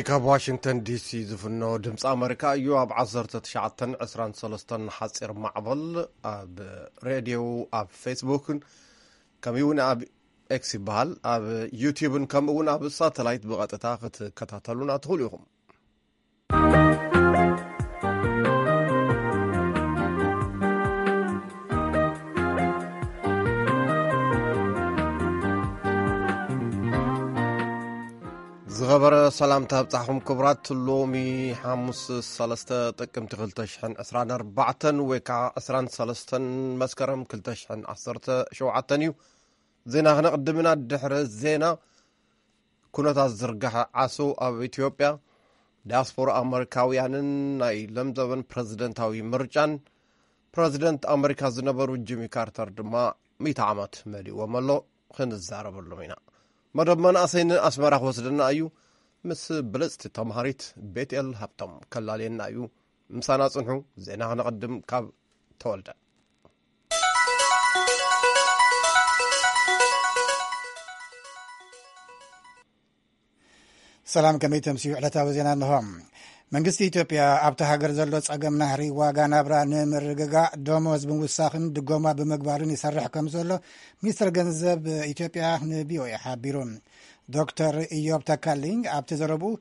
ካብ ዋሽንግተን ዲሲ ዝፍኖ ድምፂ ኣመሪካ እዩ። ኣብ ዓሰርተ ትሽዓተን ዕስራን ሰለስተን ሓፂር ማዕበል ኣብ ሬድዮ፣ ኣብ ፌስቡክን ከምኡ እውን ኣብ ኤክስ ይበሃል፣ ኣብ ዩቲዩብን ከምኡ እውን ኣብ ሳተላይት ብቐጥታ ክትከታተሉና ትኽእሉ ኢኹም። ዝኸበረ ሰላምታ ኣብጻሕኹም ክቡራት። ሎሚ ሓሙስ ሰለስተ ጥቅምቲ ክልተ ሽሕን ዕስራን ኣርባዕተን ወይ ከዓ ዕስራን ሰለስተን መስከረም ክልተ ሽሕን ዓሰርተ ሸውዓተን እዩ። ዜና ክነቕድም ኢና። ድሕሪ ዜና፣ ኩነታት ዝርጋሐ ዓሶ ኣብ ኢትዮጵያ፣ ዲያስፖራ ኣመሪካውያንን ናይ ለምዘበን ፕረዚደንታዊ ምርጫን፣ ፕረዚደንት ኣመሪካ ዝነበሩ ጂሚ ካርተር ድማ ሚእቲ ዓመት መሊእዎም ኣሎ። ክንዛረበሎም ኢና። መደብ መናእሰይ ንኣስመራ ክወስደና እዩ። ምስ ብልጽቲ ተምሃሪት ቤትኤል ሃብቶም ከላልየና እዩ። ምሳና ጽንሑ። ዜና ክነቐድም ካብ ተወልደ። ሰላም፣ ከመይ ተምስዩ? ዕለታዊ ዜና እንሆ። መንግስቲ ኢትዮጵያ ኣብቲ ሃገር ዘሎ ጸገም ናህሪ ዋጋ ናብራ ንምርግጋእ ደሞዝ ብምውሳኽን ድጎማ ብምግባርን ይሰርሕ ከም ዘሎ ሚኒስትር ገንዘብ ኢትዮጵያ ንቪኦኤ ሓቢሩ። ዶክተር ኢዮብ ተካልኝ ኣብቲ ዘረብኡ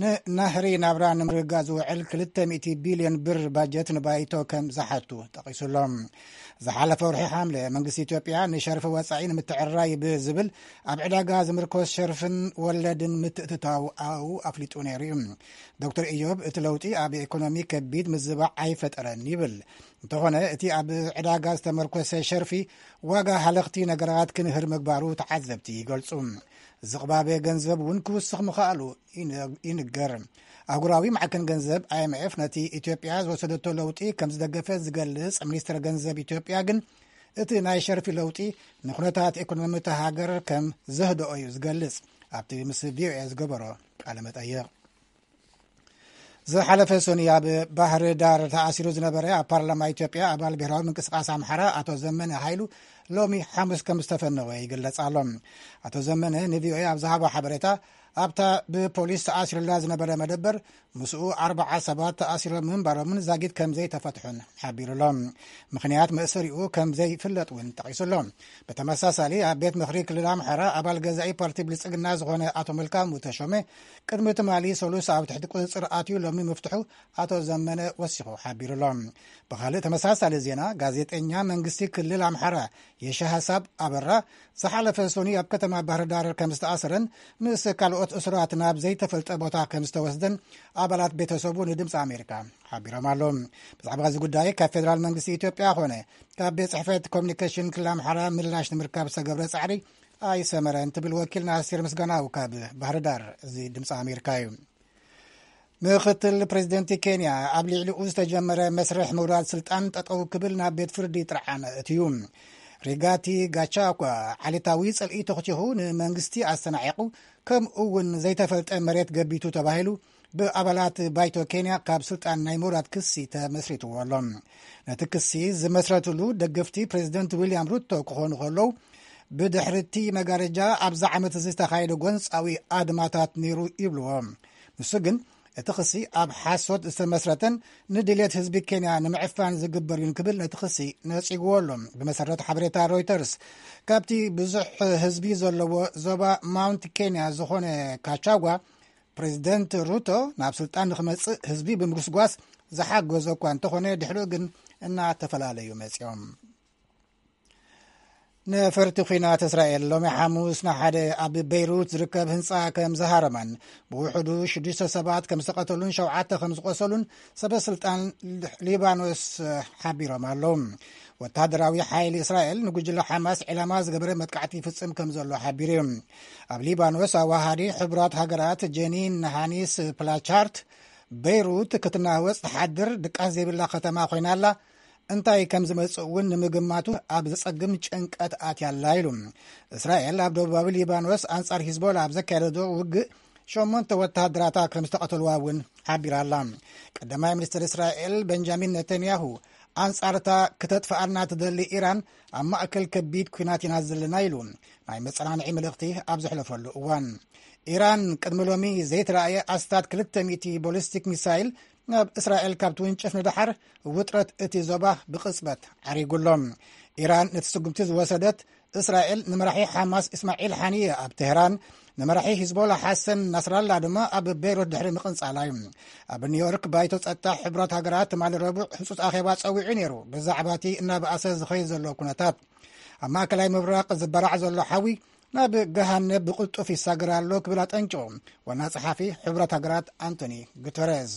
ንናህሪ ናብራ ንምርግጋእ ዝውዕል ክልተ ሚእቲ ቢልዮን ብር ባጀት ንባይቶ ከም ዝሓቱ ጠቒሱ ኣሎ። ዝሓለፈ ወርሒ ሓምለ መንግስቲ ኢትዮጵያ ንሸርፊ ወጻኢ ንምትዕርራይ ብዝብል ኣብ ዕዳጋ ዝምርኮስ ሸርፍን ወለድን ምትእትታው ኣኡ ኣፍሊጡ ነይሩ እዩ። ዶክተር ኢዮብ እቲ ለውጢ ኣብ ኢኮኖሚ ከቢድ ምዝባዕ ኣይፈጠረን ይብል። እንተኾነ እቲ ኣብ ዕዳጋ ዝተመርኮሰ ሸርፊ ዋጋ ሃለኽቲ ነገራት ክንህር ምግባሩ ተዓዘብቲ ይገልጹ። ዝቕባበ ገንዘብ እውን ክውስኽ ምኽኣሉ ይንገር። ኣህጉራዊ ማዕከን ገንዘብ ኣይ ኤም ኤፍ ነቲ ኢትዮጵያ ዝወሰደቶ ለውጢ ከም ዝደገፈ ዝገልጽ ሚኒስትር ገንዘብ ኢትዮጵያ ግን እቲ ናይ ሸርፊ ለውጢ ንኩነታት ኢኮኖሚ እታ ሃገር ከም ዘህደኦ እዩ ዝገልጽ። ኣብቲ ምስ ቪኦኤ ዝገበሮ ቃለ መጠይቕ። ዝሓለፈ ሰኑይ ኣብ ባህር ዳር ተኣሲሩ ዝነበረ ኣብ ፓርላማ ኢትዮጵያ ኣባል ብሔራዊ ምንቅስቃስ ኣምሓራ ኣቶ ዘመነ ሃይሉ ሎሚ ሓሙስ ከም ዝተፈነወ ይግለጽ ኣሎ። ኣቶ ዘመነ ንቪኦኤ ኣብ ዝሃቦ ሓበሬታ ኣብታ ብፖሊስ ተኣሲሩላ ዝነበረ መደበር ምስኡ ኣርባዓ ሰባት ተኣሲሮም ምንባሮምን ዛጊት ከም ዘይተፈትሑን ሓቢሩ ኣሎ። ምኽንያት መእሰሪኡ ከም ዘይፍለጥ እውን ጠቒሱ ኣሎ። ብተመሳሳሊ ኣብ ቤት ምኽሪ ክልል ኣምሓራ ኣባል ገዛኢ ፓርቲ ብልጽግና ዝኾነ ኣቶ መልካሙ ተሾመ ቅድሚ ትማሊ ሰሉስ ኣብ ትሕቲ ቁጽጽር ኣትዩ ሎሚ ምፍትሑ ኣቶ ዘመነ ወሲኹ ሓቢሩ ኣሎ። ብኻልእ ተመሳሳሊ ዜና፣ ጋዜጠኛ መንግስቲ ክልል ኣምሓራ የሺ ሃሳብ ኣበራ ዝሓለፈ ሰኑይ ኣብ ከተማ ባህር ዳር ከም ዝተኣሰረን ምስ ካልኦት እሱራት ናብ ዘይተፈልጠ ቦታ ከም ዝተወስደን ኣባላት ቤተሰቡ ንድምፂ ኣሜሪካ ሓቢሮም ኣለዉ። ብዛዕባ እዚ ጉዳይ ካብ ፌደራል መንግስቲ ኢትዮጵያ ኾነ ካብ ቤት ጽሕፈት ኮሚኒኬሽን ክልል ኣምሓራ ምላሽ ንምርካብ ዝተገብረ ጻዕሪ ኣይሰመረን ትብል ወኪልና ኣስቴር ምስጋናው ካብ ባህር ዳር። እዚ ድምፂ ኣሜሪካ እዩ። ምኽትል ፕሬዚደንት ኬንያ ኣብ ልዕሊኡ ዝተጀመረ መስርሕ ምውራድ ስልጣን ጠጠው ክብል ናብ ቤት ፍርዲ ጥርዓን እትዩ። ሪጋቲ ጋቻኳ ዓሌታዊ ጽልኢ ተኽቲኹ ንመንግስቲ ኣስተናዒቑ፣ ከምኡ እውን ዘይተፈልጠ መሬት ገቢቱ ተባሂሉ ብኣባላት ባይቶ ኬንያ ካብ ስልጣን ናይ ምውራድ ክሲ ተመስሪትዎ ኣሎ። ነቲ ክሲ ዝመስረትሉ ደገፍቲ ፕሬዚደንት ዊልያም ሩቶ ክኾኑ ከለዉ፣ ብድሕሪ እቲ መጋረጃ ኣብዚ ዓመት እዚ ዝተኻየደ ጎንጻዊ ኣድማታት ነይሩ ይብልዎ። ንሱ ግን እቲ ክሲ ኣብ ሓሶት ዝተመስረተን ንድልየት ህዝቢ ኬንያ ንምዕፋን ዝግበር እዩን ክብል ነቲ ክሲ ነጺግዎ ኣሎ። ብመሰረት ሓበሬታ ሮይተርስ፣ ካብቲ ብዙሕ ህዝቢ ዘለዎ ዞባ ማውንት ኬንያ ዝኾነ ካቻጓ፣ ፕሬዚደንት ሩቶ ናብ ስልጣን ንኽመጽእ ህዝቢ ብምጉስጓስ ዝሓገዞ እኳ እንተኾነ፣ ድሕሪኡ ግን እናተፈላለዩ መጺኦም። ነፈርቲ ኲናት እስራኤል ሎሚ ሓሙስ ንሓደ ኣብ በይሩት ዝርከብ ህንጻ ከም ዝሃረመን ብውሕዱ ሽዱሽተ ሰባት ከም ዝተቐተሉን ሸውዓተ ከም ዝቆሰሉን ሰበ ስልጣን ሊባኖስ ሓቢሮም ኣለዉ። ወታደራዊ ሓይሊ እስራኤል ንጉጅለ ሓማስ ዕላማ ዝገበረ መጥቃዕቲ ይፍጽም ከም ዘሎ ሓቢሩ እዩ። ኣብ ሊባኖስ ኣዋሃዲ ሕቡራት ሃገራት ጀኒን ሃኒስ ፕላቻርት፣ በይሩት ክትናወጽ ትሓድር ድቃስ ዘይብላ ከተማ ኮይና ኣላ፣ እንታይ ከም ዝመጽእ እውን ንምግማቱ ኣብ ዘጸግም ጭንቀት ኣትያ ኣላ ኢሉ። እስራኤል ኣብ ደቡባዊ ሊባኖስ ኣንጻር ሂዝቦላ ኣብ ዘካየደቶ ውግእ ሸሞንተ ወተሃደራታ ከም ዝተቐተልዋ እውን ሓቢራ ኣላ። ቀዳማይ ሚኒስትር እስራኤል በንጃሚን ነተንያሁ ኣንጻርታ ክተጥፍኣና ትደሊ ኢራን ኣብ ማእከል ከቢድ ኲናት ኢና ዘለና ኢሉ ናይ መጸናንዒ መልእኽቲ ኣብ ዘሕለፈሉ እዋን፣ ኢራን ቅድሚ ሎሚ ዘይተራእየ ኣስታት ክልተ ሚእቲ ቦሊስቲክ ሚሳይል ናብ እስራኤል ካብ ትውንጭፍ ንደሓር፣ ውጥረት እቲ ዞባ ብቕጽበት ዓሪጉ ኣሎ። ኢራን ነቲ ስጉምቲ ዝወሰደት፣ እስራኤል ንመራሒ ሓማስ እስማዒል ሓኒየ ኣብ ቴህራን፣ ንመራሒ ሂዝቦላ ሓሰን ናስራላ ድማ ኣብ ቤይሩት ድሕሪ ምቕንጻላ እዩ። ኣብ ኒውዮርክ ባይቶ ጸጥታ ሕቡራት ሃገራት ትማሊ ረቡዕ ህጹጽ ኣኼባ ጸዊዑ ነይሩ። ብዛዕባ እቲ እናበኣሰ ዝኸይድ ዘሎ ኩነታት፣ ኣብ ማእከላይ ምብራቕ ዝበራዕ ዘሎ ሓዊ ናብ ገሃነብ ብቕልጡፍ ይሳገር ኣሎ ክብል ኣጠንቂቑ ዋና ጸሓፊ ሕቡራት ሃገራት ኣንቶኒ ጉተረዝ።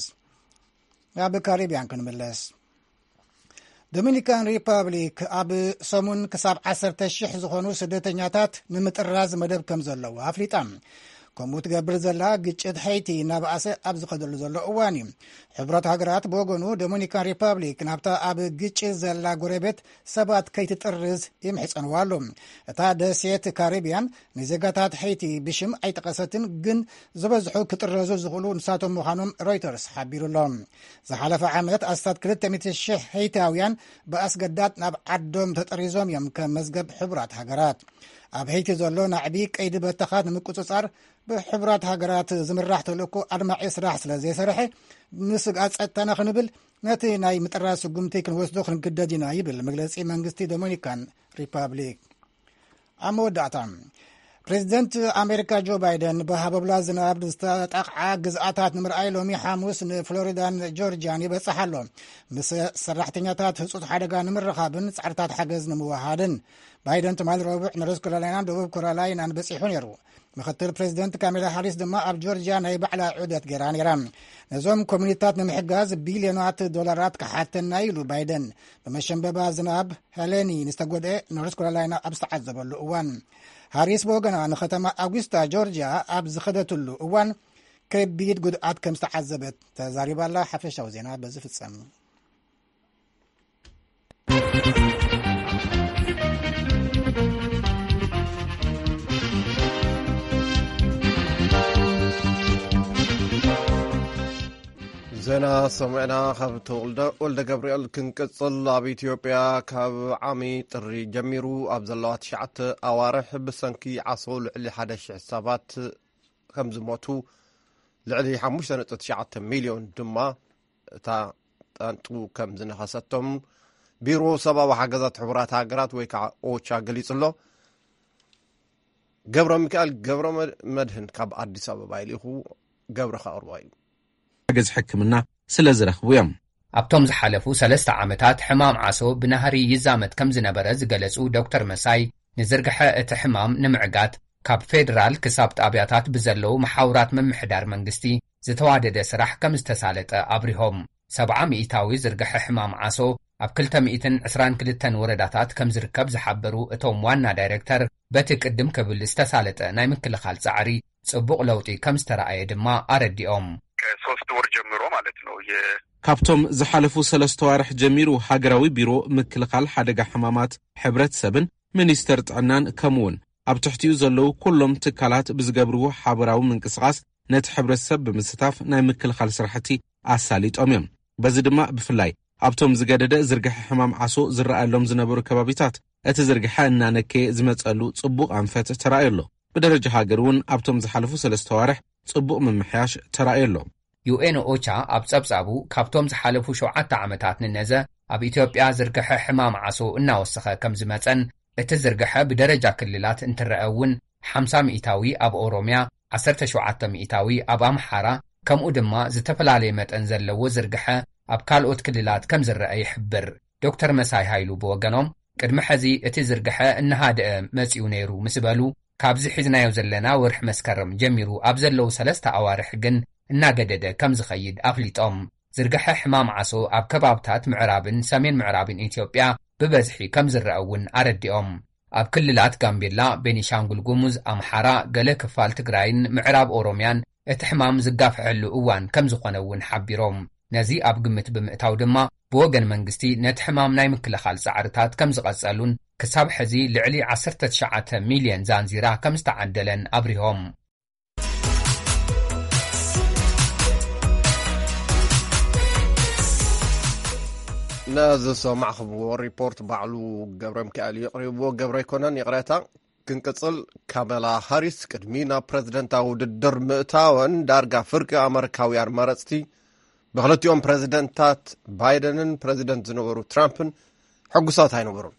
ናብ ካሪብያን ክንምለስ። ዶሚኒካን ሪፐብሊክ ኣብ ሰሙን ክሳብ ዓሰርተ ሽሕ ዝኾኑ ስደተኛታት ንምጥራዝ መደብ ከም ዘለዋ ኣፍሊጣ። ከምኡ ትገብር ዘላ ግጭት ሀይቲ እናበኣሰ ኣብ ዝኸደሉ ዘሎ እዋን እዩ። ሕቡራት ሃገራት ብወገኑ፣ ዶሚኒካን ሪፐብሊክ ናብታ ኣብ ግጭት ዘላ ጎረቤት ሰባት ከይትጥርዝ ይምሕጸንዋ ኣሎ። እታ ደሴት ካሪብያን ንዜጋታት ሀይቲ ብሽም ኣይጠቐሰትን፣ ግን ዝበዝሑ ክጥረዙ ዝኽእሉ ንሳቶም ምዃኖም ሮይተርስ ሓቢሩ ኣሎ። ዝሓለፈ ዓመት ኣስታት ክልተ ሚእቲ ሽሕ ሀይታውያን ብኣስገዳድ ናብ ዓዶም ተጠሪዞም እዮም፣ ከም መዝገብ ሕቡራት ሃገራት። ኣብ ሀይቲ ዘሎ ናዕቢ ቀይዲ በተኻት ንምቁጽጻር ብሕቡራት ሃገራት ዝምራሕ ተልእኮ ኣድማዒ ስራሕ ስለ ዘይሰርሐ፣ ንስግኣት ጸጥታና ክንብል ነቲ ናይ ምጥራዝ ስጉምቲ ክንወስዶ ክንግደድ ኢና ይብል መግለጺ መንግስቲ ዶሚኒካን ሪፐብሊክ። ኣብ መወዳእታ፣ ፕሬዚደንት ኣሜሪካ ጆ ባይደን ብሃቦብላ ዝናብ ዝተጣቕዓ ግዝኣታት ንምርኣይ ሎሚ ሓሙስ ንፍሎሪዳን ጆርጂያን ይበጽሕ ኣሎ፣ ምስ ሰራሕተኛታት ህጹጽ ሓደጋ ንምርኻብን ጻዕርታት ሓገዝ ንምውሃድን። ባይደን ትማሊ ረቡዕ ኖርዝ ካሮላይናን ደቡብ ካሮላይናን በጺሑ ነይሩ። ምክትል ፕሬዚደንት ካሜላ ሃሪስ ድማ ኣብ ጆርጂያ ናይ ባዕላ ዑደት ገይራ ነይራ። ነዞም ኮሚኒታት ንምሕጋዝ ቢልዮናት ዶላራት ክሓተና ኢሉ ባይደን፣ ብመሸንበባ ዝናብ ሄለኒ ንዝተጎድአ ኖርዝ ካሮላይና ኣብ ዝተዓዘበሉ እዋን። ሃሪስ ብወገና ንከተማ ኣጉስታ ጆርጂያ ኣብ ዝኸደትሉ እዋን ከቢድ ጉድኣት ከም ዝተዓዘበት ተዛሪባ ኣላ። ሓፈሻዊ ዜና በዚ ፍጸም። ዜና ሰሚዕና ካብ ተወልደ ወልደ ገብርኤል ክንቅጽል። ኣብ ኢትዮጵያ ካብ ዓሚ ጥሪ ጀሚሩ ኣብ ዘለዋ ትሽዓተ ኣዋርሕ ብሰንኪ ዓሶ ልዕሊ ሓደ ሽሕ ሰባት ከም ዝሞቱ፣ ልዕሊ ሓሙሽተ ነጥቢ ትሽዓተ ሚልዮን ድማ እታ ጣንጡ ከም ዝነኸሰቶም ቢሮ ሰብኣዊ ሓገዛት ሕቡራት ሃገራት ወይ ከዓ ኦቻ ገሊጹ ኣሎ። ገብረ ሚካኤል ገብረ መድህን ካብ ኣዲስ ኣበባ ይልኢኹ። ገብረ ከቕርቦ እዩ። ሓገዝ ሕክምና ስለ ዝረኽቡ እዮም። ኣብቶም ዝሓለፉ ሰለስተ ዓመታት ሕማም ዓሶ ብናህሪ ይዛመት ከም ዝነበረ ዝገለጹ ዶክተር መሳይ፣ ንዝርግሐ እቲ ሕማም ንምዕጋት ካብ ፌደራል ክሳብ ጣብያታት ብዘለዉ መሓውራት ምምሕዳር መንግስቲ ዝተዋደደ ስራሕ ከም ዝተሳለጠ ኣብሪሆም። ሰብዓ ሚእታዊ ዝርግሐ ሕማም ዓሶ ኣብ ክልተ ሚእትን ዕስራን ክልተን ወረዳታት ከም ዝርከብ ዝሓበሩ እቶም ዋና ዳይሬክተር፣ በቲ ቅድም ክብል ዝተሳለጠ ናይ ምክልኻል ጻዕሪ ጽቡቕ ለውጢ ከም ዝተረኣየ ድማ ኣረዲኦም። ከሶስት ወር ጀምሮ ማለት ነው። የ- ካብቶም ዝሓለፉ ሰለስተ ዋርሕ ጀሚሩ ሃገራዊ ቢሮ ምክልኻል ሓደጋ ሕማማት ሕብረተሰብን ሚኒስተር ጥዕናን ከምኡውን ኣብ ትሕቲኡ ዘለዉ ኩሎም ትካላት ብዝገብርዎ ሓበራዊ ምንቅስቓስ ነቲ ሕብረተሰብ ብምስታፍ ናይ ምክልኻል ስራሕቲ ኣሳሊጦም እዮም። በዚ ድማ ብፍላይ ኣብቶም ዝገደደ ዝርግሐ ሕማም ዓሶ ዝረኣየሎም ዝነበሩ ከባቢታት እቲ ዝርግሐ እናነከየ ዝመጸሉ ጽቡቕ ኣንፈት ተራእዮ ኣሎ። ብደረጃ ሃገር እውን ኣብቶም ዝሓለፉ ሰለስተ ዋርሕ ጽቡቕ ምምሕያሽ ተራእዮ ኣሎ። ዩ ኤን ኦቻ ኣብ ጸብጻቡ፣ ካብቶም ዝሓለፉ ሸውዓተ ዓመታት ንነዘ ኣብ ኢትዮጵያ ዝርግሐ ሕማም ዓሶ እናወሰኸ ከም ዝመጸን፣ እቲ ዝርግሐ ብደረጃ ክልላት እንትረአ እውን ሓምሳ ሚእታዊ ኣብ ኦሮምያ፣ ዓሰርተ ሸውዓተ ሚእታዊ ኣብ ኣምሓራ፣ ከምኡ ድማ ዝተፈላለየ መጠን ዘለዎ ዝርግሐ ኣብ ካልኦት ክልላት ከም ዝረአ ይሕብር። ዶክተር መሳይ ሃይሉ ብወገኖም፣ ቅድሚ ሕዚ እቲ ዝርግሐ እናሃደአ መጺኡ ነይሩ ምስ በሉ፣ ካብዚ ሒዝናዮ ዘለና ወርሒ መስከረም ጀሚሩ ኣብ ዘለዉ ሰለስተ ኣዋርሕ ግን እናገደደ ከም ዝኸይድ ኣፍሊጦም። ዝርግሐ ሕማም ዓሶ ኣብ ከባብታት ምዕራብን ሰሜን ምዕራብን ኢትዮጵያ ብበዝሒ ከም ዝረአ እውን ኣረዲኦም። ኣብ ክልላት ጋምቤላ፣ ቤኒሻንጉል ጉሙዝ፣ ኣምሓራ፣ ገለ ክፋል ትግራይን ምዕራብ ኦሮምያን እቲ ሕማም ዝጋፍሐሉ እዋን ከም ዝኾነ እውን ሓቢሮም። ነዚ ኣብ ግምት ብምእታው ድማ ብወገን መንግስቲ ነቲ ሕማም ናይ ምክልኻል ጻዕርታት ከም ዝቐጸሉን ክሳብ ሕዚ ልዕሊ ዓሰርተ ትሽዓተ ሚልዮን ዛንዚራ ከም ዝተዓደለን ኣብሪሆም። ነዚ ዝሰማዕኹምዎ ሪፖርት ባዕሉ ገብረ ሚካኤል እዩ ኣቕሪብዎ። ገብረ ኣይኮነን፣ ይቕሬታ። ክንቅጽል። ካመላ ሃሪስ ቅድሚ ናብ ፕረዚደንታዊ ውድድር ምእታወን ዳርጋ ፍርቂ ኣመሪካውያን መረጽቲ ብክልቲኦም ፕረዚደንታት ባይደንን ፕረዚደንት ዝነበሩ ትራምፕን ሕጉሳት ኣይነበሩን።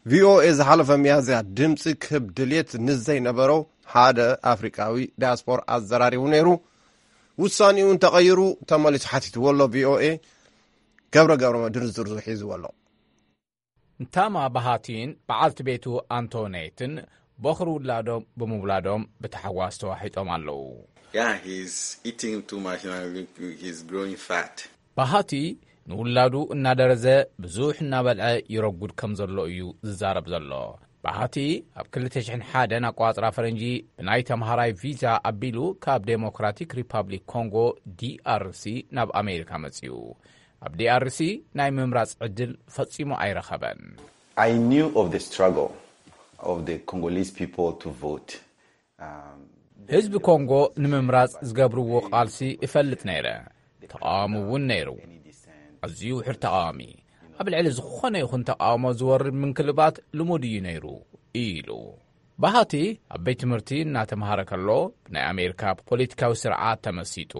ቪኦኤ ዝሓለፈ ሚያዝያ ድምፂ ክህብ ድልየት ንዘይነበሮ ሓደ ኣፍሪቃዊ ዳያስፖራ ኣዘራሪቡ ነይሩ። ውሳኔኡ እንተቐይሩ ተመሊሱ ሓቲትዎ ኣሎ። ቪኦኤ ገብረ ገብረ መድህን ዝርዝሩ ሒዝዎ ኣሎ። ንታማ ባሃቲን በዓልቲ ቤቱ ኣንቶኔትን ቦኽሪ ውላዶም ብምውላዶም ብታሕጓስ ተዋሒጦም ኣለዉ። Yeah, he's eating too much now. Look, he's growing fat. ባሃቲ ንውላዱ እናደረዘ ብዙሕ እናበልዐ ይረጉድ ከም ዘሎ እዩ ዝዛረብ ዘሎ። ባሃቲ ኣብ ክልተ ሽሕን ሓደን ኣቋጽራ ፈረንጂ ብናይ ተምሃራይ ቪዛ ኣቢሉ ካብ ዴሞክራቲክ ሪፓብሊክ ኮንጎ ዲኣርሲ ናብ ኣሜሪካ መጽዩ። ኣብ ዲኣርሲ ናይ ምምራጽ ዕድል ፈጺሙ ኣይረኸበን። I knew of the struggle of the Congolese people to vote. Um, ህዝቢ ኮንጎ ንምምራጽ ዝገብርዎ ቃልሲ እፈልጥ ነይረ። ተቃዋሚ እውን ነይሩ። ኣዝዩ ውሕድ ተቃዋሚ። ኣብ ልዕሊ ዝኾነ ይኹን ተቃውሞ ዝወርድ ምንክልባት ልሙድ እዩ ነይሩ ኢሉ። ባሃቲ ኣብ ቤት ትምህርቲ እናተምሃረ ከሎ ብናይ ኣሜሪካ ፖለቲካዊ ስርዓት ተመሲጡ።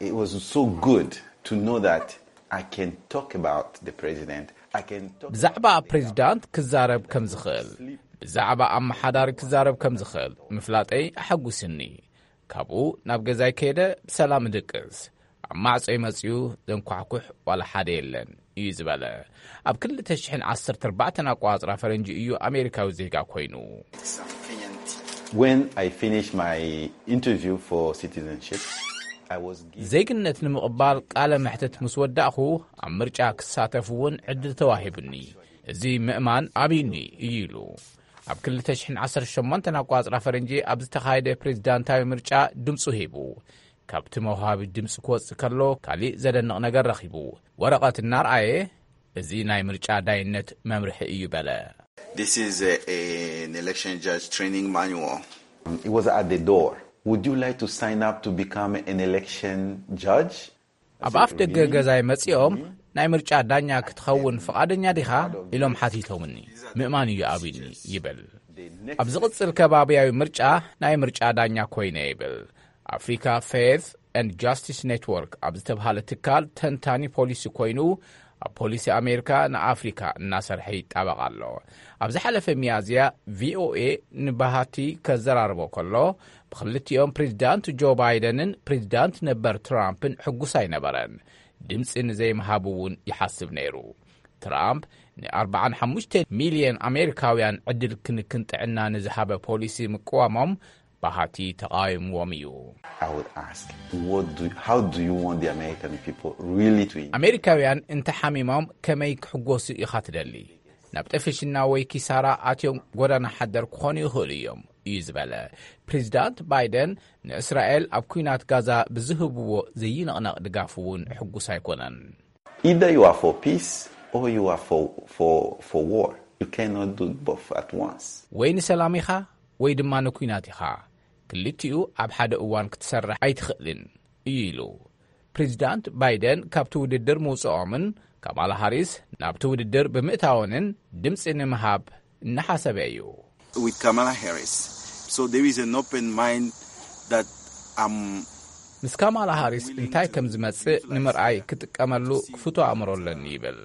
It was so good to know that I can talk about the president. I can talk ብዛዕባ ፕሬዚዳንት ክዛረብ ከም ዝኽእል፣ ብዛዕባ ኣመሓዳሪ ክዛረብ ከም ዝኽእል ምፍላጠይ ኣሐጉስኒ። ካብኡ ናብ ገዛይ ከይደ ብሰላም እድቅስ። ኣብ ማዕጾይ መጺኡ ዘንኳሕኩሕ ዋላ ሓደ የለን እዩ ዝበለ። ኣብ ክልተ ሽሕን ዓሰርተ ኣርባዕተን ኣቋጽራ ፈረንጂ እዩ ኣሜሪካዊ ዜጋ ኮይኑ። When I finished my interview for citizenship, I was given ዜግነት ንምቕባል ቃለ መሕትት ምስ ወዳእኹ ኣብ ምርጫ ክሳተፍ እውን ዕድል ተዋሂቡኒ። እዚ ምእማን ኣብዩኒ እዩ ኢሉ። ኣብ ክልተ ሽሕን ዓሰርተ ሸሞንተን ኣቋጽራ ፈረንጂ ኣብ ዝተኻየደ ፕሬዚዳንታዊ ምርጫ ድምፁ ሂቡ። ካብቲ መውሃቢ ድምፂ ክወፅእ ከሎ ካሊእ ዘደንቕ ነገር ረኺቡ። ወረቐት እናርኣየ፣ እዚ ናይ ምርጫ ዳይነት መምርሒ እዩ በለ። This is a, an election judge training manual. It was at the door. Would you like to sign up to become an election judge? ኣብ ኣፍ ደገ ገዛይ መጺኦም ናይ ምርጫ ዳኛ ክትኸውን ፍቓደኛ ዲኻ ኢሎም ሓቲቶምኒ። ምእማን እዩ ኣብዩኒ ይብል። ኣብ ዝቕጽል ከባብያዊ ምርጫ ናይ ምርጫ ዳኛ ኮይነ ይብል። ኣፍሪካ ፌዝ ኤንድ ጃስቲስ ኔትወርክ ኣብ ዝተብሃለ ትካል ተንታኒ ፖሊሲ ኮይኑ ኣብ ፖሊሲ ኣሜሪካ ንኣፍሪካ እናሰርሐ ይጣበቕ ኣሎ። ኣብ ዝሓለፈ ሚያዝያ ቪኦኤ ንባሃቲ ከዘራርቦ ከሎ ብክልቲኦም ፕሬዚዳንት ጆ ባይደንን ፕሬዚዳንት ነበር ትራምፕን ሕጉስ ኣይነበረን። ድምፂ ንዘይምሃብ እውን ይሓስብ ነይሩ። ትራምፕ ን45 ሚልዮን ኣሜሪካውያን ዕድል ክንክን ጥዕና ንዝሃበ ፖሊሲ ምቅዋሞም ባሃቲ ተቓዊምዎም እዩ። I would ask, what do, how do you want the American people really to enjoy? ኣሜሪካውያን እንተሓሚሞም ከመይ ክሕጎሱ ኢኻ ትደሊ? ናብ ጠፍሽና ወይ ኪሳራ ኣትዮም ጎዳና ሓደር ክኾኑ ይኽእሉ እዮም እዩ ዝበለ። ፕሬዚዳንት ባይደን ንእስራኤል ኣብ ኲናት ጋዛ ብዝህብዎ ዘይንቕነቕ ድጋፍ እውን ሕጉስ ኣይኮነን። Either you are for peace or you are for, for, for war. You cannot do both at once. ወይ ንሰላም ኢኻ ወይ ድማ ንኲናት ኢኻ። ክልቲኡ ኣብ ሓደ እዋን ክትሰርሕ ኣይትኽእልን እዩ ኢሉ። ፕሬዚዳንት ባይደን ካብቲ ውድድር ምውፅኦምን ካማላ ሃሪስ ናብቲ ውድድር ብምእታወንን ድምፂ ንምሃብ እናሓሰበ እዩ። With Kamala Harris. So there is an open mind that I'm ምስ ካማላ ሃሪስ እንታይ ከም ዝመጽእ ንምርኣይ ክጥቀመሉ ክፍቶ ኣእምሮ ኣለኒ ይብል።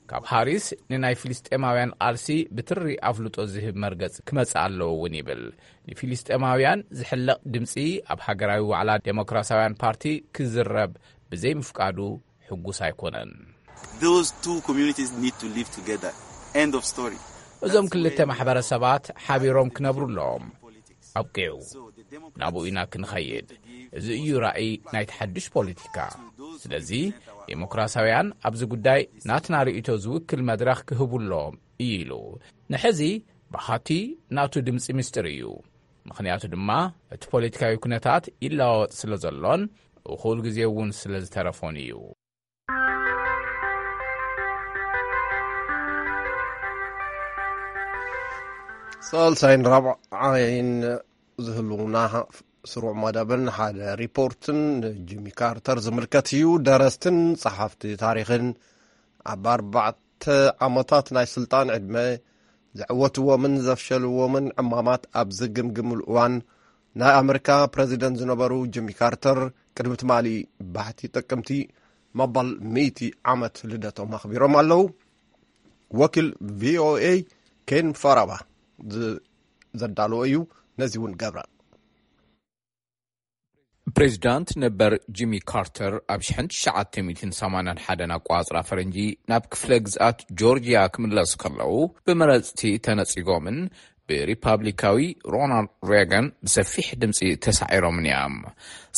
ካብ ሃሪስ ንናይ ፊልስጤማውያን ቃልሲ ብትሪ ኣፍልጦ ዝህብ መርገጽ ክመጽእ ኣለዎ እውን ይብል። ንፊልስጤማውያን ዝሕለቕ ድምጺ ኣብ ሃገራዊ ዋዕላ ዴሞክራሲያውያን ፓርቲ ክዝረብ ብዘይምፍቃዱ ሕጉስ ኣይኮነን። Those two communities need to live together. End of story. እዞም ክልተ ማሕበረሰባት ሓቢሮም ክነብሩ ኣለዎም። ኣብቂዑ። ናብኡ ኢና ክንኸይድ። እዚ እዩ ራእይ ናይቲ ሓድሽ ፖለቲካ። ስለዚ ዴሞክራሲያውያን ኣብዚ ጉዳይ ናትና ርእይቶ ዝውክል መድረኽ ክህቡ ኣለዎም እዩ ኢሉ። ንሕዚ ብሃቲ ናቱ ድምፂ ምስጢር እዩ። ምኽንያቱ ድማ እቲ ፖለቲካዊ ኩነታት ይለዋወጥ ስለ ዘሎን እኹል ግዜ እውን ስለ ዝተረፎን እዩ። ሳልሳይን ራብዓይን ዝህልውና ስሩዕ መደብን ሓደ ሪፖርትን ንጂሚ ካርተር ዝምልከት እዩ። ደረስትን ጸሓፍቲ ታሪኽን ኣብ ኣርባዕተ ዓመታት ናይ ስልጣን ዕድመ ዘዕወትዎምን ዘፍሸልዎምን ዕማማት ኣብ ዝግምግምሉ እዋን፣ ናይ ኣመሪካ ፕረዚደንት ዝነበሩ ጂሚ ካርተር ቅድሚ ትማሊ ባሕቲ ጥቅምቲ መበል ሚእቲ ዓመት ልደቶም ኣኽቢሮም ኣለዉ። ወኪል ቪ ኦ ኤ ኬን ፋራባ ዝ-፣ ዘዳለዎ እዩ። ነዚ እውን ገብረ። ፕሬዚዳንት ነበር ጂሚ ካርተር ኣብ ሺሕ ትሽዓተ ሚእትን ሰማንያን ሓደን ኣቋጽራ ፈረንጂ ናብ ክፍለ ግዝኣት ጆርጂያ ክምለሱ ከለዉ፣ ብመረጽቲ ተነጺጎምን ብሪፓብሊካዊ ሮናልድ ሬገን ብሰፊሕ ድምጺ ተሳዒሮምን እዮም።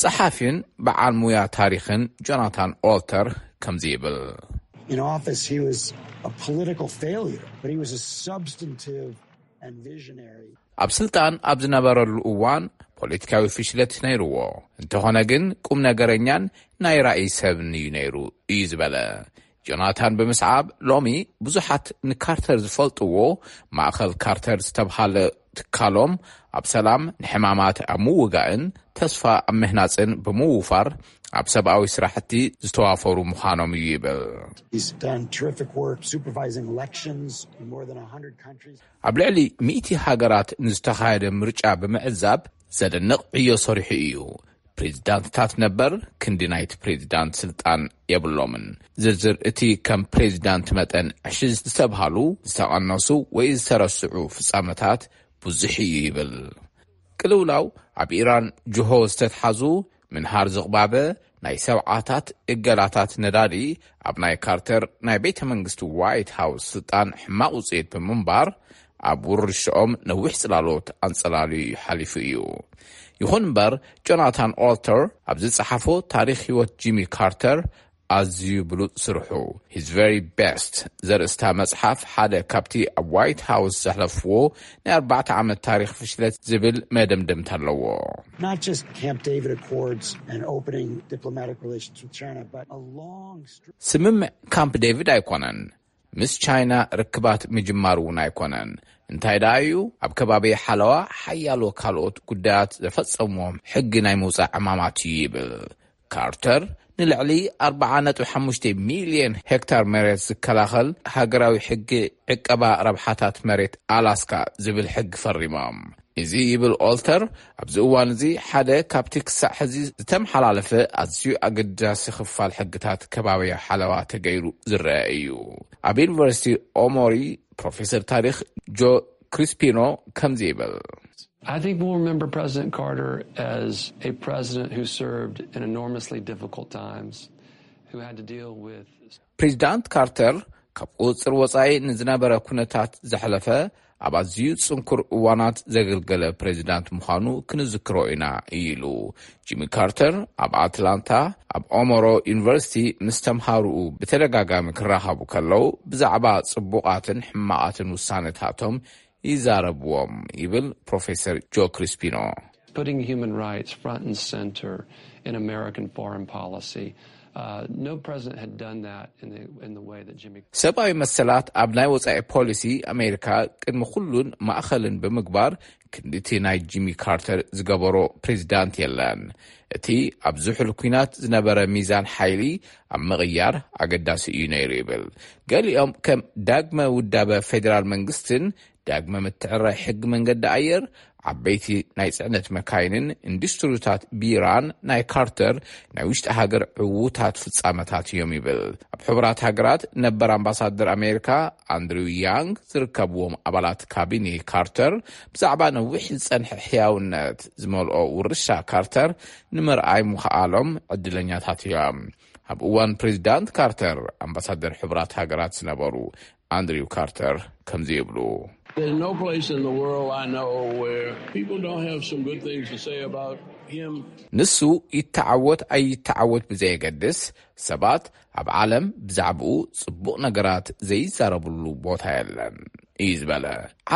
ጸሓፊን በዓል ሙያ ታሪኽን ጆናታን ኦልተር ከምዚ ይብል። In office, he was a political failure, but he was a substantive and visionary. ኣብ ስልጣን ኣብ ዝነበረሉ እዋን ፖለቲካዊ ፍሽለት ነይርዎ፣ እንተኾነ ግን ቁም ነገረኛን ናይ ራእይ ሰብን እዩ ነይሩ፣ እዩ ዝበለ። ጆናታን ብምስዓብ፣ ሎሚ ብዙሓት ንካርተር ዝፈልጥዎ ማእኸል ካርተር ዝተብሃለ ትካሎም ኣብ ሰላም፣ ንሕማማት ኣብ ምውጋእን ተስፋ ኣብ ምህናጽን ብምውፋር ኣብ ሰብኣዊ ስራሕቲ ዝተዋፈሩ ምዃኖም እዩ ይብል። He's done terrific work supervising elections in more than a hundred countries. ኣብ ልዕሊ ሚእቲ ሃገራት ንዝተኻየደ ምርጫ ብምዕዛብ ዘደንቕ ዕዮ ሰሪሑ እዩ። ፕሬዚዳንትታት ነበር ክንዲ ናይቲ ፕሬዚዳንት ስልጣን የብሎምን። ዝርዝር እቲ ከም ፕሬዚዳንት መጠን ዕሽሽ ዝተብሃሉ፣ ዝተቐነሱ ወይ ዝተረስዑ ፍጻመታት ብዙሕ እዩ ይብል። ቅልውላው ኣብ ኢራን ጅሆ ዝተትሓዙ ምንሃር ዝቕባበ ናይ ሰብዓታት እገዳታት ነዳዲ ኣብ ናይ ካርተር ናይ ቤተ መንግስቲ ዋይት ሃውስ ስልጣን ሕማቕ ውጽኢት ብምንባር ኣብ ውርሻኦም ነዊሕ ጽላሎት ኣንጸላልዩ ሓሊፉ እዩ። ይኹን እምበር ጆናታን ኦልተር ኣብ ዝጸሓፎ ታሪኽ ህይወት ጂሚ ካርተር ኣዝዩ ብሉጽ ስርሑ His Very Best ዘርእስታ መጽሓፍ ሓደ ካብቲ ኣብ ዋይት ሃውስ ዘሕለፍዎ ናይ ኣርባዕተ ዓመት ታሪኽ ፍሽለት ዝብል መደምደምታ ኣለዎ። Not just Camp David Accords and opening diplomatic relations with China, but a long str- ስምምዕ ካምፕ ዴቪድ ኣይኮነን፣ ምስ ቻይና ርክባት ምጅማር እውን ኣይኮነን። እንታይ ደኣ እዩ፣ ኣብ ከባቢ ሓለዋ ሓያሎ ካልኦት ጉዳያት ዘፈጸምዎም ሕጊ ናይ ምውጻእ ዕማማት እዩ ይብል። ካርተር ንልዕሊ ኣርባዓ ነጥቢ ሓሙሽተ ሚልዮን ሄክታር መሬት ዝከላኸል ሃገራዊ ሕጊ ዕቀባ ረብሓታት መሬት ኣላስካ ዝብል ሕጊ ፈሪሞም። እዚ ይብል ኦልተር፣ ኣብዚ እዋን እዚ ሓደ ካብቲ ክሳዕ ሕዚ ዝተመሓላለፈ ኣዝዩ ኣገዳሲ ክፋል ሕግታት ከባብያዊ ሓለዋ ተገይሩ ዝረአ እዩ። ኣብ ዩኒቨርሲቲ ኦሞሪ ፕሮፌሰር ታሪኽ ጆ ክሪስፒኖ ከምዚ ይብል። I think we'll remember President Carter as a president who served in enormously difficult times, who had to deal with ፕሬዚዳንት ካርተር ካብ ቁጽጽር ወጻኢ ንዝነበረ ኩነታት ዘሕለፈ፣ ኣብ ኣዝዩ ጽንኩር እዋናት ዘገልገለ ፕሬዚዳንት ምዃኑ ክንዝክሮ ኢና ኢሉ። ጂሚ ካርተር ኣብ ኣትላንታ ኣብ ኦሞሮ ዩኒቨርሲቲ ምስ ተምሃርኡ ብተደጋጋሚ ክራኸቡ ከለዉ ብዛዕባ ጽቡቓትን ሕማቓትን ውሳነታቶም ይዛረብዎም ይብል ፕሮፌሰር ጆ ክሪስፒኖ። Putting human rights front and center in American foreign policy. Uh, no president had done that in the, in the way that Jimmy. ሰብኣዊ መሰላት ኣብ ናይ ወጻኢ ፖሊሲ ኣሜሪካ ቅድሚ ኩሉን ማእኸልን ብምግባር ክንድቲ ናይ ጂሚ ካርተር ዝገበሮ ፕሬዚዳንት የለን። እቲ ኣብ ዝሑል ኲናት ዝነበረ ሚዛን ሓይሊ ኣብ ምቕያር ኣገዳሲ እዩ ነይሩ ይብል። ገሊኦም ከም ዳግመ ውዳበ ፌዴራል መንግስትን ዳግመ ምትዕርራይ ሕጊ መንገዲ ኣየር፣ ዓበይቲ ናይ ጽዕነት መካይንን ኢንዱስትሪታት ቢራን ናይ ካርተር ናይ ውሽጢ ሃገር ዕዉታት ፍጻመታት እዮም ይብል። ኣብ ሕቡራት ሃገራት ነበር ኣምባሳደር ኣሜሪካ ኣንድሪው ያንግ ዝርከብዎም ኣባላት ካቢኔ ካርተር ብዛዕባ ነዊሕ ዝጸንሐ ሕያውነት ዝመልኦ ውርሻ ካርተር ንምርኣይ ምኽኣሎም ዕድለኛታት እዮም። ኣብ እዋን ፕሬዚዳንት ካርተር ኣምባሳደር ሕቡራት ሃገራት ዝነበሩ ኣንድሪው ካርተር ከምዚ ይብሉ። There's no place in the world I know where people don't have some good things to say about him. ንሱ ይተዓወት ኣይተዓወት ብዘየገድስ ሰባት ኣብ ዓለም ብዛዕባኡ ጽቡቕ ነገራት ዘይዛረብሉ ቦታ የለን እዩ ዝበለ።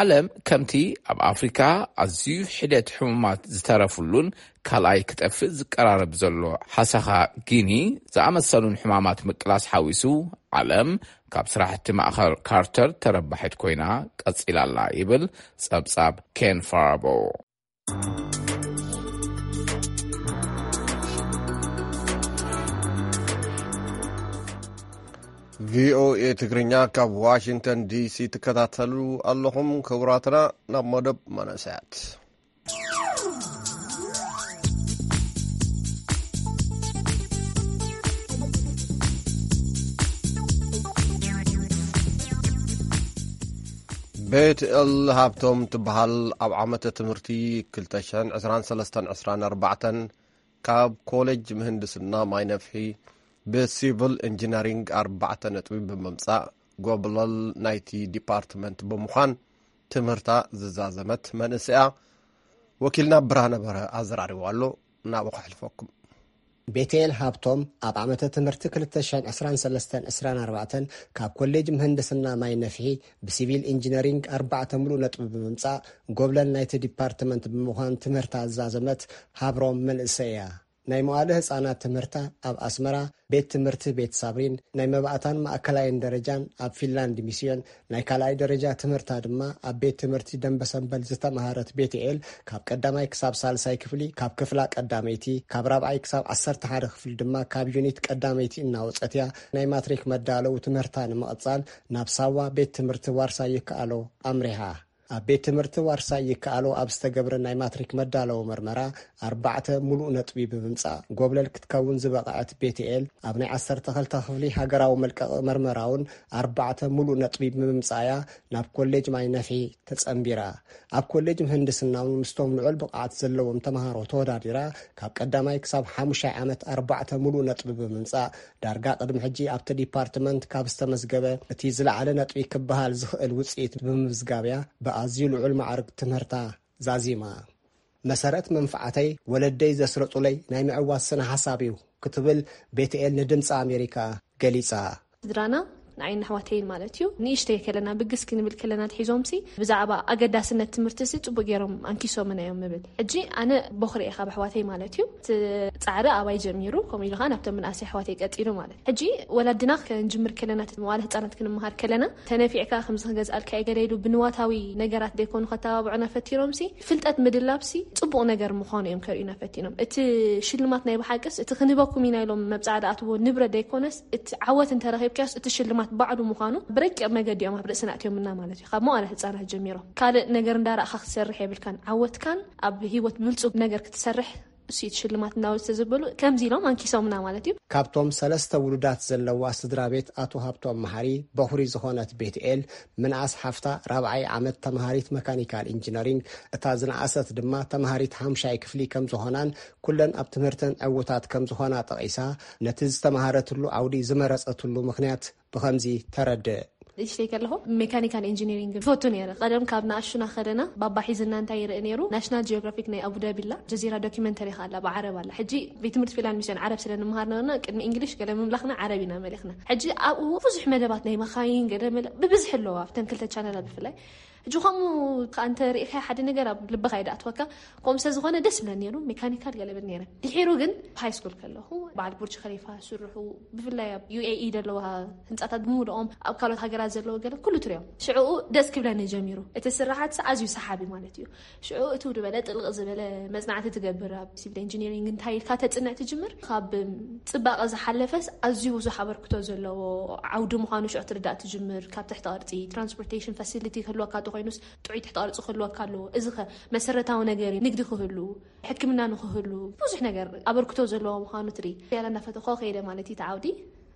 ዓለም ከምቲ ኣብ ኣፍሪካ ኣዝዩ ሒደት ሕሙማት ዝተረፍሉን ካልኣይ ክጠፍእ ዝቀራረብ ዘሎ ሓሰኻ ጊኒ ዝኣመሰሉን ሕማማት ምቅላስ ሓዊሱ ዓለም ካብ ስራሕቲ ማእኸል ካርተር ተረባሒት ኮይና ቀጺላ ኣላ ይብል ጸብጻብ ኬን ፋራቦ። ቪኦኤ ትግርኛ ካብ ዋሽንግተን ዲሲ ትከታተሉ ኣለኹም። ክቡራትና፣ ናብ መደብ መንእሰያት። ቤት ኤል ሃብቶም ትበሃል፣ ኣብ ዓመተ ትምህርቲ ክልተ ሽሕን ዕስራን ሰለስተን ዕስራን ኣርባዕተን ካብ ኮሌጅ ምህንድስና ማይ ነፍሒ ብሲቪል ኢንጂነሪንግ ኣርባዕተ ነጥቢ ብምምጻእ ጎብለል ናይቲ ዲፓርትመንት ብምዃን ትምህርታ ዝዛዘመት መንእሰያ ወኪልና ብርሃነ በርሀ ኣዘራሪቡ ኣሎ። ናብኡ ከሕልፈኩም። ቤቴል ሃብቶም ኣብ ዓመተ ትምህርቲ ክልተ ሽሕን ዕስራን ሰለስተን ዕስራን ኣርባዕተን ካብ ኮሌጅ ምህንድስና ማይ ነፍሒ ብሲቪል ኢንጂነሪንግ ኣርባዕተ ሙሉእ ነጥቢ ብምምጻእ ጎብለል ናይቲ ዲፓርትመንት ብምዃን ትምህርታ ዝዛዘመት ሃብሮም መንእሰይ እያ። ናይ መዋለ ህጻናት ትምህርታ ኣብ ኣስመራ ቤት ትምህርቲ ቤት ሳብሪን ናይ መባእታን ማእከላይን ደረጃን ኣብ ፊንላንድ ሚስዮን ናይ ካልኣይ ደረጃ ትምህርታ ድማ ኣብ ቤት ትምህርቲ ደንበ ሰንበል ዝተምሃረት ቤትኤል፣ ካብ ቀዳማይ ክሳብ ሳልሳይ ክፍሊ ካብ ክፍላ ቀዳመይቲ፣ ካብ ራብዓይ ክሳብ ዓሰርተ ሓደ ክፍሊ ድማ ካብ ዩኒት ቀዳመይቲ እናወጸት እያ ናይ ማትሪክ መዳለዊ ትምህርታ ንምቕጻል ናብ ሳዋ ቤት ትምህርቲ ዋርሳይ ይከኣሎ ኣምሪሓ። ኣብ ቤት ትምህርቲ ዋርሳይ ይከኣሎ ኣብ ዝተገብረ ናይ ማትሪክ መዳለዊ መርመራ ኣርባዕተ ሙሉእ ነጥቢ ብምምጻእ ጎብለል ክትከውን ዝበቕዐት ቤትኤል፣ ኣብ ናይ ዓሰርተ ክልተ ክፍሊ ሃገራዊ መልቀቒ መርመራ እውን ኣርባዕተ ሙሉእ ነጥቢ ብምምጻእያ ናብ ኮሌጅ ማይ ነፍሒ ተጸንቢራ። ኣብ ኮሌጅ ምህንድስና እውን ምስቶም ልዑል ብቕዓት ዘለዎም ተምሃሮ ተወዳዲራ ካብ ቀዳማይ ክሳብ ሓሙሻይ ዓመት ኣርባዕተ ሙሉእ ነጥቢ ብምምጻእ ዳርጋ ቅድሚ ሕጂ ኣብቲ ዲፓርትመንት ካብ ዝተመዝገበ እቲ ዝለዓለ ነጥቢ ክበሃል ዝኽእል ውጽኢት ብምምዝጋብያ ብኣዝዩ ልዑል ማዕርግ ትምህርታ ዛዚማ። መሰረት መንፍዓተይ ወለደይ ዘስረጹለይ ናይ ምዕዋት ስነ ሓሳብ እዩ ክትብል ቤትኤል ንድምፂ ኣሜሪካ ገሊጻ። ስድራና ንዓይን ኣሕዋተይን ማለት እዩ። ንእሽተይ ከለና ብግስ ክንብል ከለና ትሒዞምሲ ብዛዕባ ኣገዳስነት ትምህርቲ ሲ ጽቡቅ ገይሮም ኣንኪሶምና እዮም ምብል። ሕጂ ኣነ ቦኽሪ እየ ካብ ኣሕዋተይ ማለት እዩ። እቲ ጻዕሪ ኣባይ ጀሚሩ፣ ከምኡ ኢሉ ከዓ ናብቶም ምንኣሰይ ኣሕዋተይ ቀጺሉ ማለት። ሕጂ ወላድና ክንጅምር ከለና፣ እቲ መዋለ ህጻናት ክንመሃር ከለና፣ ተነፊዕካ ከምዚ ክገዝኣልካ እየ ገለ ኢሉ ብንዋታዊ ነገራት ደይኮኑ ከተባብዑና ፈቲኖምሲ፣ ፍልጠት ምድላብሲ ጽቡቕ ነገር ምዃኑ እዮም ከርእዩና ፈቲኖም። እቲ ሽልማት ናይ ብሓቅስ እቲ ክንህበኩም ኢና ኢሎም መብጽዓ ዝኣትዎ ንብረት ደይኮነስ፣ እቲ ዓወት እንተረኺብካዮስ እቲ ሽልማት ባዕሉ ምዃኑ ብረቂቕ መገዲ እዮም ኣብ ርእስና ኣእትዮምና ማለት እዩ። ካብ መዋለ ህጻናት ጀሚሮም ካልእ ነገር እንዳረኣኻ ክትሰርሕ የብልካን። ዓወትካን ኣብ ህይወት ብልጹግ ነገር ክትሰርሕ እሱ እቲ ሽልማት እናወሰ ዝበሉ ከምዚ ኢሎም ኣንኪሶምና ማለት እዩ። ካብቶም ሰለስተ ውሉዳት ዘለዋ ስድራ ቤት ኣቶ ሃብቶም መሓሪ በኹሪ ዝኾነት ቤትኤል፣ ምንኣስ ሓፍታ ራብዓይ ዓመት ተምሃሪት መካኒካል ኢንጂነሪንግ፣ እታ ዝነኣሰት ድማ ተምሃሪት ሓምሻይ ክፍሊ ከም ዝኾናን ኩለን ኣብ ትምህርተን ዕዉታት ከም ዝኾና ጠቒሳ፣ ነቲ ዝተምሃረትሉ ዓውዲ ዝመረጸትሉ ምኽንያት ብኸምዚ ተረድእ። ንእሽተይ ከለኹ ሜካኒካል ኢንጂኒሪንግ ይፈቱ ነይረ። ቀደም ካብ ንኣሽቱና ከለና ባባ ሒዝና እንታይ ይርኢ ነይሩ? ናሽናል ጂኦግራፊክ ናይ ኣቡዳቢ ኣላ፣ ጀዚራ ዶኪመንተሪ ከኣ ኣላ፣ ብዓረብ ኣላ። ሕጂ ቤት ትምህርቲ ፊንላንድ ሚስዮን ዓረብ ስለ ንምሃር ነበርና፣ ቅድሚ እንግሊሽ ገለ ምምላኽና ዓረብ ኢና መሊኽና። ሕጂ ኣብኡ ብዙሕ መደባት ናይ መኻይን ገለ መለ ብብዝሒ ኣለዋ፣ ኣብተን ክልተ ቻነላት ብፍላይ። ሕጂ ከምኡ ከኣ እንተ ርኢኻዮ ሓደ ነገር ኣብ ልብኻ እዩ ዝኣትወካ። ከምኡ ስለ ዝኾነ ደስ ይብለኒ ነይሩ፣ ሜካኒካል ገለ እብል ነይረ። ድሒሩ ግን ሃይ ስኩል ከለኹ በዓል ቡርጅ ኸሊፋ ስርሑ፣ ብፍላይ ኣብ ዩ ኤ ኢ ዘለዋ ህንጻታት ብምሉኦም፣ ኣብ ካልኦት ሃገራት ዘለዉ ገለ ኩሉ ትሪኦም። ሽዕኡ ደስ ክብለኒ ጀሚሩ። እቲ ስራሓት ኣዝዩ ሰሓቢ ማለት እዩ። ሽዑ እትው ዝበለ ጥልቕ ዝበለ መጽናዕቲ ትገብር፣ ኣብ ሲቪል ኢንጂኒሪንግ እንታይ ኢልካ ተጽንዕ ትጅምር። ካብ ጽባቐ ዝሓለፈስ ኣዝዩ ብዙሕ ኣበርክቶ ዘለዎ ዓውዲ ምዃኑ ሽዑ ትርዳእ ትጅምር። ካብ ትሕቲ ቅርጺ ትራንስፖርቴሽን ፋሲሊቲ ክህልወካ እንተኾይኑስ፣ ጥዑይ ትሕቲ ቅርጺ ክህልወካ ኣለዎ። እዚ ኸ መሰረታዊ ነገር እዩ። ንግዲ ክህሉ፣ ሕክምና ንክህሉ፣ ብዙሕ ነገር ኣበርክቶ ዘለዎ ምዃኑ ትርኢ። ያላ እናፈተኾ ከይደ ማለት እዩ እቲ ዓውዲ።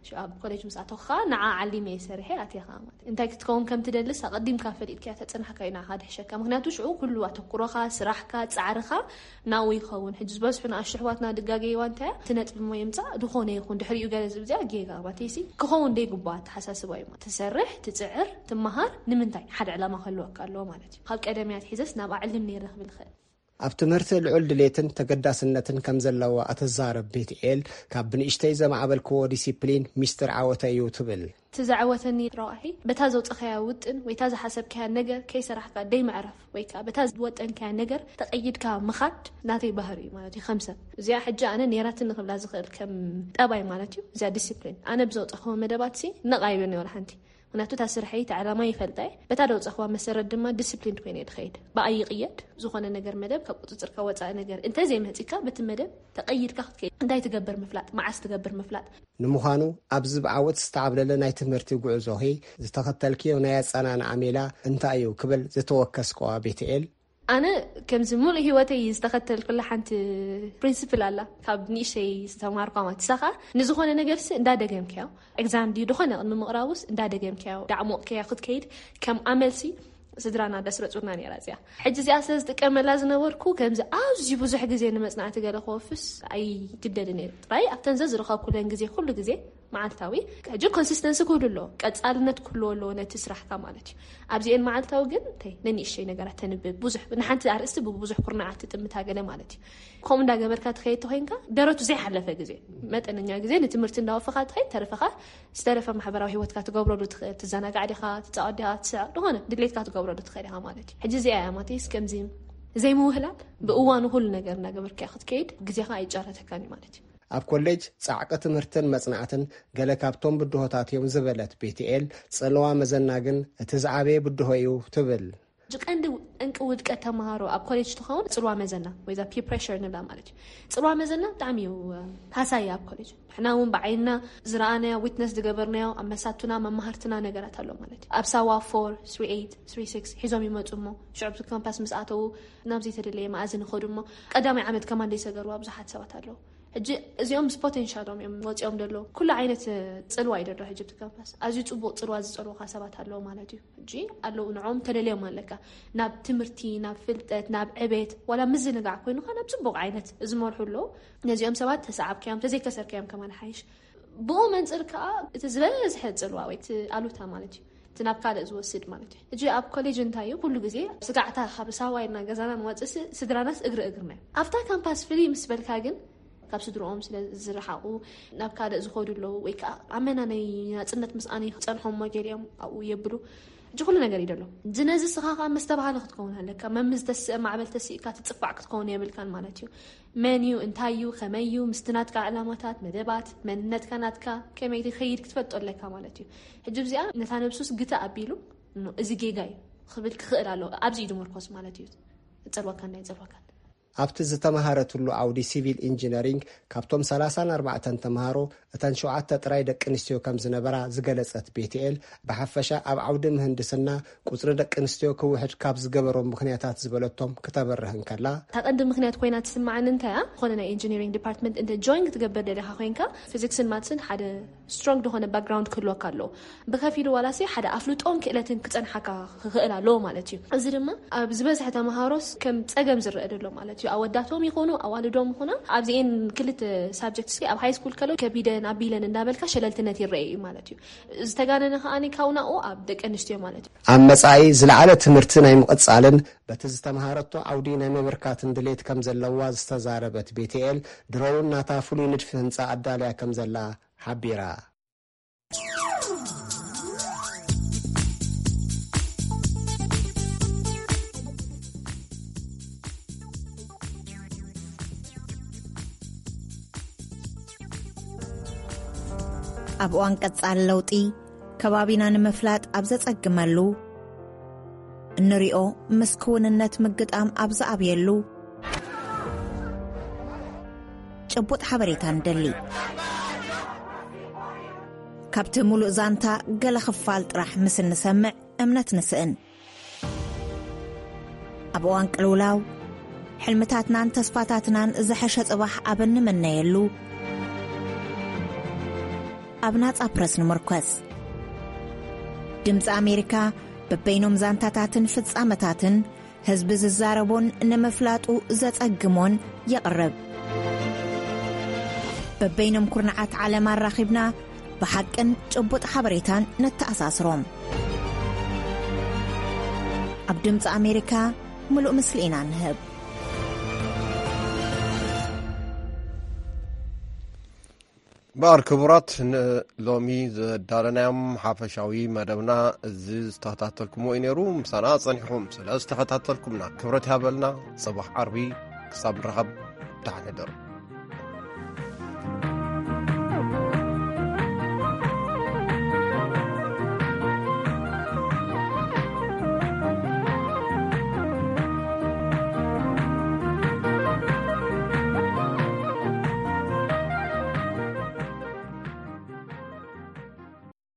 ሽዑ ኣብ ኮሌጅ ምስ ኣተኹ ኸኣ ንዓ ዓሊመ እየ ሰሪሐ ኣትየ ኸኣ ማለት እዩ። እንታይ ክትከውን ከም ትደልስ ኣቐዲምካ ፈሊጥካዮ ተጽናሕካ እዩ ንዓኻ ድሕሸካ። ምኽንያቱ ሽዑ ኩሉ ኣተኩሮኻ፣ ስራሕካ፣ ጻዕርኻ ናብኡ ይኸውን። ሕጂ ዝበዝሑ ንኣሽቱ ኣሕዋትና ድጋገይዋ እንታይ እያ? እቲ ነጥቢ እሞ የምጻእ፣ ዝኾነ ይኹን ድሕሪኡ ገለ ዝብል እዚኣ ጌጋ እያ። ማለተይሲ ክኸውን ደይግባእ ኣተሓሳስባ እዩ። ትሰርሕ፣ ትጽዕር፣ ትመሃር፣ ንምንታይ? ሓደ ዕላማ ክህልወካ ኣለዎ ማለት እዩ። ካብ ቀደም እያ ኣትሒዘስ ናብኣ ዕልም ነይረ ክብል ይኽእል። ኣብ ትምህርቲ ልዑል ድሌትን ተገዳስነትን ከም ዘለዋ እትዛረብ ቤትኤል፣ ካብ ብንእሽተይ ዘማዕበልክዎ ዲሲፕሊን ሚስጥር ዓወተይ እዩ ትብል። እቲ ዘዕወተኒ ረቋሒ፣ በታ ዘውጸኻያ ውጥን ወይ እታ ዝሓሰብካያ ነገር ከይሰራሕካ ደይ ምዕራፍ ወይ ከኣ በታ ዝወጠንካያ ነገር ተቐይድካ ምኻድ ናተይ ባህሪ እዩ ማለት እዩ። ከም ሰብ እዚኣ ሕጂ ኣነ ኔራትኒ ክብላ ዝኽእል ከም ጠባይ ማለት እዩ። እዚኣ ዲሲፕሊን ኣነ ብዘውጸኽዎ መደባትሲ ነቓይብን ወላ ሓንቲ ምክንያቱ እታ ስርሐይ፣ እታ ዕላማ ይፈልጣ እየ። በታ ደውፀኽዋ መሰረት ድማ ዲስፕሊን ኮይነ እየ ድኸይድ። ብኣይ ይቕየድ፣ ዝኾነ ነገር መደብ ካብ ቁፅፅርካ ወፃኢ ነገር እንተዘይመፂካ፣ በቲ መደብ ተቐይድካ ክትከይድ። እንታይ ትገብር ምፍላጥ፣ መዓስ ትገብር ምፍላጥ። ንምዃኑ፣ ኣብዚ ብዓወት ዝተዓብለለ ናይ ትምህርቲ ጉዕዞኺ ዝተኸተልክዮ ናይ ኣጸናንዓ ሜላ እንታይ እዩ ክብል ዝተወከስክዋ ቤትኤል፣ ኣነ ከምዚ ሙሉእ ህይወተይ ዝተኸተልኩላ ሓንቲ ፕሪንሲፕል ኣላ፣ ካብ ንእሽተይ ዝተማርኳ ማለት። ንሳ ኸኣ ንዝኾነ ነገርሲ እንዳደገምክዮ፣ ኤግዛም ድዩ ዝኾነ ቅድሚ ምቕራቡስ እንዳደገምክዮ፣ ዳዕሞቕክዮ ክትከይድ ከም ኣመልሲ ስድራና ደስረጹና ነይራ እዚኣ። ሕጂ እዚኣ ስለ ዝጥቀመላ ዝነበርኩ፣ ከምዚ ኣዝዩ ብዙሕ ግዜ ንመጽናዕቲ ገለ ክወፍስ ኣይግደድን እየ። ጥራይ ኣብተን ዘዝረኸብኩለን ግዜ፣ ኩሉ ግዜ መዓልታዊ፣ ሕጂ ኮንሲስተንሲ ክህሉ ኣለዎ፣ ቀጻልነት ክህልዎ ኣለዎ ነቲ ስራሕካ ማለት እዩ። ኣብዚኤን መዓልታዊ ግን፣ እንታይ፣ ነንእሽተይ ነገራት ተንብብ፣ ብዙሕ፣ ንሓንቲ ኣርእስቲ ብብዙሕ ኩርናዓት ትጥምታ ገለ ማለት እዩ። ከምኡ እንዳገበርካ ትኸይድ ተኾይንካ፣ ደረቱ ዘይሓለፈ ግዜ፣ መጠነኛ ግዜ ንትምህርቲ እንዳወፈኻ ትኸይድ፣ ተረፈኻ ዝተረፈ ማሕበራዊ ህይወትካ ትገብረሉ ትኽእል፣ ትዘናጋዕ ዲኻ፣ ትጻወት ዲኻ፣ ትስዕቕ፣ ዝኾነ ድሌትካ ትገብረሉ ትኽእል ኢኻ ማለት እዩ። ሕጂ እዚኣ እያ ማቴስ፣ ከምዚ ዘይምውህላል፣ ብእዋኑ ኩሉ ነገር እናገበርካ ክትከይድ፣ ግዜኻ ኣይጫረተካን እዩ ማለት እዩ። ኣብ ኮሌጅ ጻዕቂ ትምህርትን መጽናዕትን ገለ ካብቶም ብድሆታት እዮም ዝበለት ቤትኤል፣ ጽልዋ መዘና ግን እቲ ዝዓበየ ብድሆ እዩ ትብል። ሕጂ ቀንዲ ጠንቂ ውድቀት ተምሃሮ ኣብ ኮሌጅ ትኸውን ጽልዋ መዘና ወይ እዛ ፒር ፕሬሸር ንብላ ማለት እዩ። ጽልዋ መዘና ብጣዕሚ እዩ፣ እ፣ ሃሳይ ኣብ ኮሌጅ። ንሕና እውን ብዓይንና ዝረኣናዮ፣ ዊትነስ ዝገበርናዮ፣ ኣብ መሳቱና፣ መማህርትና ነገራት ኣሎ ማለት እዩ። ኣብ ሳዋ ፎር፣ ስሪ ኤይት፣ ስሪ ሲክስ ሒዞም ይመጹ እሞ፣ ሽዑ ኣብቲ ካምፓስ ምስ ኣተዉ ናብ ዘይተደለየ መኣዝን ይኸዱ እሞ፣ ቀዳማይ ዓመት ከማን ዘይሰገርዋ ብዙሓት ሰባት ኣለዉ። ሕጂ እዚኦም ምስ ፖቴንሻሎም እዮም ወፂኦም ደለዉ። ኩሉ ዓይነት፣ እ፣ ፅልዋ እዩ ደሎ ሕጂ ኣብቲ ካምፓስ። ኣዝዩ ፅቡቕ ፅልዋ ዝፀልውኻ ሰባት ኣለዉ ማለት እዩ። ሕጂ ኣለዉ፣ ንዕኦም ተደልዮም ኣለካ። ናብ ትምህርቲ፣ ናብ ፍልጠት፣ ናብ ዕቤት፣ ዋላ ምዝንጋዕ ኮይኑኻ ናብ ፅቡቕ ዓይነት ዝመርሑ ኣለዉ። ነዚኦም ሰባት ተሰዓብካዮም፣ ተዘይከሰርካዮም ከማን ሓይሽ። ብኡ መንፅር ከዓ እቲ ዝበዝሐ ፅልዋ ወይ እቲ ኣሉታ ማለት እዩ። እቲ ናብ ካልእ ዝወስድ ማለት እዩ። ሕጂ ኣብ ኮሌጅ እንታይ እዩ? ኩሉ ግዜ ስጋዕታ ካብ ሳዋ ኢልና ገዛና ንወፅእ ስ-፣ ስድራናስ እግሪ እግርና እዩ። ኣብታ ካምፓስ ፍልይ ምስ በልካ ግን ካብ ስድርኦም ስለ ዝረሓቑ ናብ ካልእ ዝኸዱ ኣለዉ፣ ወይ ከዓ ኣመና ናይ ናፅነት ምስኣን ክፀንሖም እሞ ገሊኦም ኣብኡ የብሉ። ሕጂ ኩሉ ነገር እዩ ደሎ። እዚ ነዚ ስኻ ከዓ መስተባሃሊ ክትከውን ኣለካ። መምዝ ተስእ ማዕበል ተስእካ ትፅፋዕ ክትከውን የብልካን ማለት እዩ። መን እዩ፣ እንታይ እዩ፣ ከመይ እዩ፣ ምስቲ ናትካ ዕላማታት፣ መደባት፣ መንነትካ ናትካ ከመይ ትኸይድ ክትፈልጦ ኣለካ ማለት እዩ። ሕጂ እዚኣ ነታ ነብሱስ ግተ ኣቢሉ፣ "ኖ፣ እዚ ጌጋ እዩ" ክብል ክኽእል ኣለዎ። ኣብዚ እዩ ዝምርኮስ ማለት እዩ። ይጸልወካን ኣይጸልወካን። ኣብቲ ዝተመሃረትሉ ዓውዲ ሲቪል ኢንጂነሪንግ ካብቶም ሰላሳን ኣርባዕተን ተምሃሮ እተን ሸውዓተ ጥራይ ደቂ ኣንስትዮ ከም ዝነበራ ዝገለጸት ቤትኤል፣ ብሓፈሻ ኣብ ዓውዲ ምህንድስና ቁጽሪ ደቂ ኣንስትዮ ክውሕድ ካብ ዝገበሮም ምኽንያታት ዝበለቶም ክተበርህ እንከላ፣ እታ ቀንዲ ምኽንያት ኮይና ትስምዓኒ እንታይ እያ? ዝኾነ ናይ ኢንጂነሪንግ ዲፓርትመንት እንተ ጆይን ክትገብር ደሊኻ ኮይንካ፣ ፊዚክስን ማትስን ሓደ ስትሮንግ ዝኾነ ባክግራውንድ ክህልወካ ኣለዎ። ብኸፊሉ ዋላሲ ሓደ ኣፍልጦን ክእለትን ክጸንሓካ ክኽእል ኣለዎ ማለት እዩ። እዚ ድማ ኣብ ዝበዝሐ ተምሃሮስ ከም ጸገም ዝረአ ደሎ ማለት እዩ። ኣወዳቶም ይኹኑ ኣዋልዶም ይኹና ኣብዚኤን ክልተ ሳብጀክትስ ኣብ ሃይ ስኩል ከሎ ከቢደን ኣቢለን እንዳበልካ ሸለልትነት ይረአ እዩ ማለት እዩ። ዝተጋነነ ከኣ ካብኡ ናብኡ ኣብ ደቂ ኣንስትዮ ማለት እዩ። ኣብ መጻኢ ዝለዓለ ትምህርቲ ናይ ምቕጻልን በቲ ዝተምሃረቶ ዓውዲ ናይ ምብርካትን ድሌት ከም ዘለዋ ዝተዛረበት ቤትኤል፣ ድሮውን ናታ ፍሉይ ንድፊ ህንጻ ኣዳልያ ከም ዘላ ሓቢራ። ኣብ እዋን ቀጻሊ ለውጢ፣ ከባቢና ንምፍላጥ ኣብ ዘጸግመሉ፣ እንሪኦ ምስ ክውንነት ምግጣም ኣብ ዝኣብየሉ፣ ጭቡጥ ሓበሬታ ንደሊ። ካብቲ ምሉእ ዛንታ ገለ ክፋል ጥራሕ ምስ እንሰምዕ እምነት ንስእን። ኣብ እዋን ቅልውላው፣ ሕልምታትናን ተስፋታትናን ዝሐሸ ጽባሕ ኣብ እንምነየሉ፣ ኣብ ናጻ ፕረስ ንምርኮስ። ድምጺ ኣሜሪካ በበይኖም ዛንታታትን ፍጻመታትን ህዝቢ ዝዛረቦን ንምፍላጡ ዘጸግሞን የቕርብ። በበይኖም ኩርናዓት ዓለም ኣራኺብና ብሓቅን ጭቡጥ ሓበሬታን ነተኣሳስሮም። ኣብ ድምጺ ኣሜሪካ ምሉእ ምስሊ ኢና ንህብ። እምበኣር ክቡራት፣ ንሎሚ ዘዳለናዮም ሓፈሻዊ መደብና እዚ ዝተኸታተልኩምዎ እዩ ነይሩ። ምሳና ጸኒሕኩም ስለ ዝተኸታተልኩምና ክብረት ይሃበልና። ጽባሕ ዓርቢ ክሳብ ንራኸብ፣ ደሓን ሕደሩ።